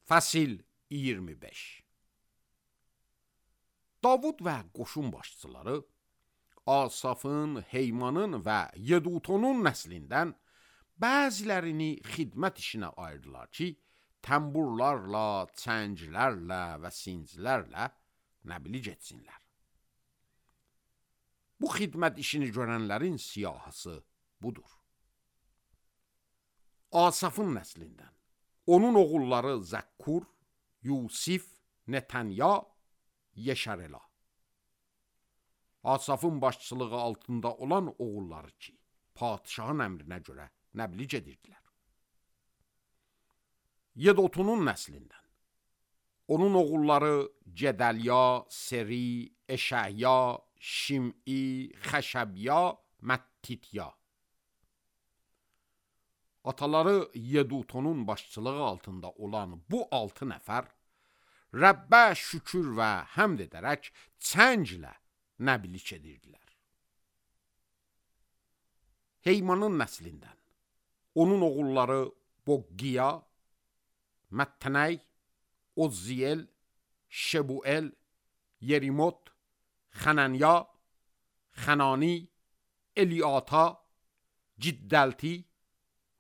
Fəsil 25. Davud və qoşun başçıları Asafın, Heymanın və Yedutonun nəslindən bəzilərini xidmət işinə ayırdılar ki, təmburlarla, çənglərlə və sincilərlə nəbili getsinlər. Bu xidmət işini görənlərin siyahısı budur. Asafın nəslindən onun oğulları Zəkkur, Yusif, Netanya, Yeşarela. Asafın başçılığı altında olan oğulları ki, padişahın əmrinə görə nəbli gedirdilər. Yedotunun nəslindən onun oğulları Gedəlya, Seri, Eşəhya, Şim'i, Xəşəbya, Məttitya. Ataları Yedutonun başçılığı altında olan bu 6 nəfər Rəbbə şükür və həmd edərək çənglə nəbilik edirdilər. Heymanın nəslindən onun oğulları Boqqiya, Məttənəy, Ozziyel, Şebuel, Yerimot, Xənənya, Xənani, Eliata, Ciddəlti,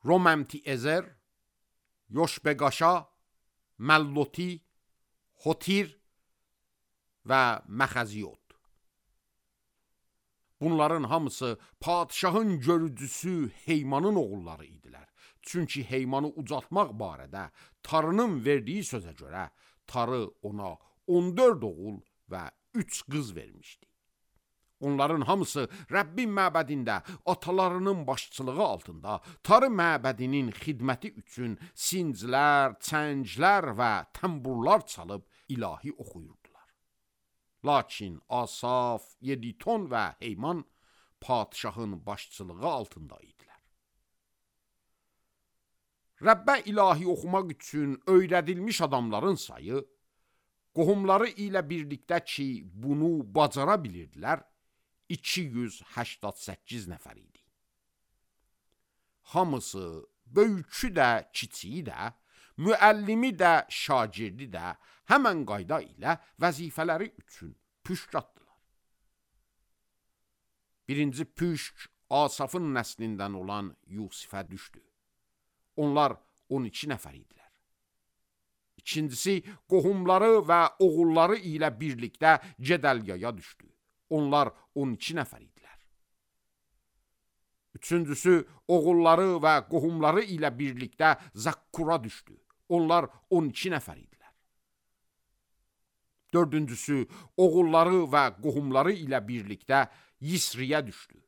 Romamti-Ezer, Yoşbeqaşa, Məlloti, Hotir və Məxəziyot. Bunların hamısı padişahın görücüsü Heymanın oğulları idilər. Çünki Heymanı ucaltmaq barədə Tarının verdiyi sözə görə Tarı ona 14 oğul və 3 qız vermişdi. Onların hamısı Rəbbin məbədində atalarının başçılığı altında Tarı məbədinin xidməti üçün sinclər, çənglər və təmburlar çalıb ilahi oxuyurdular. Lakin Asaf, Yeditun və Heyman padişahın başçılığı altında idilər. Rəbbə ilahi oxumaq üçün öyrədilmiş adamların sayı, qohumları ilə birlikdə ki, bunu bacara bilirdilər, 288 nəfər idi. Hamısı, böyükü də, kiçiyi də, müəllimi də, şagirdi də həmən qayda ilə vəzifələri üçün püşk atdılar. Birinci püşk Asafın nəslindən olan Yusifə düşdü. Onlar 12 nəfər idilər. İkincisi, qohumları və oğulları ilə birlikdə Gedəlyaya düşdü. Onlar 12 nəfər idilər. Üçüncüsü, oğulları və qohumları ilə birlikdə Zakkura düşdü. Onlar 12 nəfər idilər. Dördüncüsü, oğulları və qohumları ilə birlikdə Yisriyə düşdü.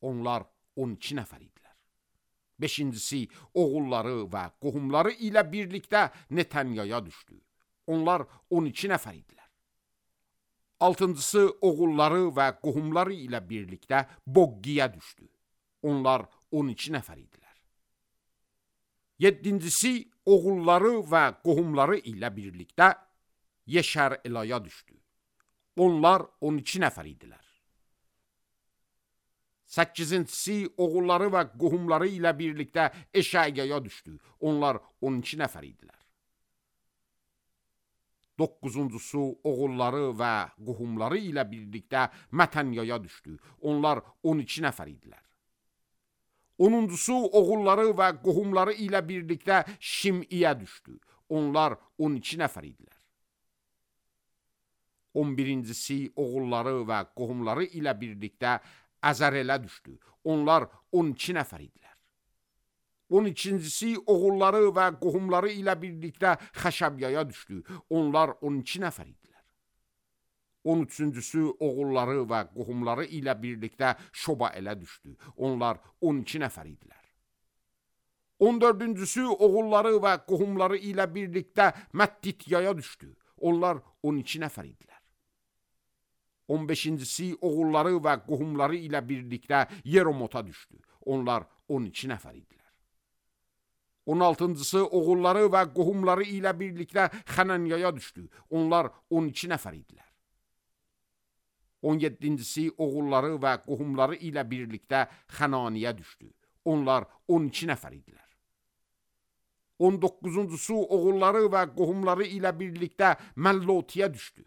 Onlar 12 nəfər idilər. Beşincisi, oğulları və qohumları ilə birlikdə Netanyaya düşdü. Onlar 12 nəfər idilər. Altıncısı, oğulları və qohumları ilə birlikdə Boqqiyə düşdü. Onlar 12 nəfər idilər. Yedincisi, oğulları və qohumları ilə birlikdə Yeşər-Elaya düşdü. Onlar 12 nəfər idilər. Səkizincisi, oğulları və qohumları ilə birlikdə Eşəyaya düşdü. Onlar 12 nəfər idilər. Doqquzuncusu, oğulları və qohumları ilə birlikdə Mətənyaya düşdü. Onlar 12 nəfər idilər. Onuncusu, oğulları və qohumları ilə birlikdə Şim'iyə düşdü. Onlar 12 nəfər idilər. 11-incisi, oğulları və qohumları ilə birlikdə Əzərələ düşdü. Onlar 12 nəfər idilər. 12-incisi, oğulları və qohumları ilə birlikdə Xəşəbyaya düşdü. Onlar 12 nəfər idilər. 13-cüsü, oğulları və qohumları ilə birlikdə Şobaələ düşdü. Onlar 12 nəfər idilər. 14-cüsü, oğulları və qohumları ilə birlikdə Məttityaya düşdü. Onlar 12 nəfər idilər. 15-cisi, oğulları və qohumları ilə birlikdə Yeromota düşdü. Onlar 12 nəfər idilər. 16-cısı, oğulları və qohumları ilə birlikdə Xənənyaya düşdü. Onlar 12 nəfər idilər. 17-cisi, oğulları və qohumları ilə birlikdə Xənaniyə düşdü. Onlar 12 nəfər idilər. 19-cusu oğulları və qohumları ilə birlikdə Məllotiyə düşdü.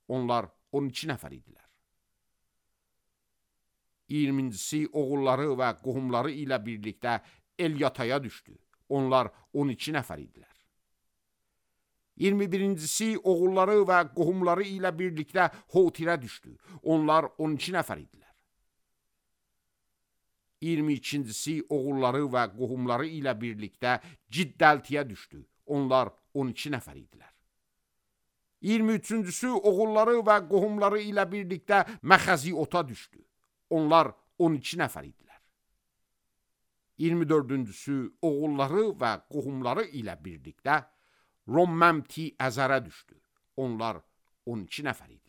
Onlar 12 nəfər idilər. 20-cisi oğulları və qohumları ilə birlikdə Elyataya düşdü. Onlar 12 nəfər idilər. 21-cisi oğulları və qohumları ilə birlikdə Hotirə düşdü. Onlar 12 nəfər idilər. 22-cisi oğulları və qohumları ilə birlikdə Ciddəltiyə düşdü. Onlar 12 nəfər idilər. 23-cüsü oğulları və qohumları ilə birlikdə Məxəziota düşdü. Onlar 12 nəfər idilər. 24-cüsü oğulları və qohumları ilə birlikdə Romməmti Əzərə düşdü. Onlar 12 nəfər idilər.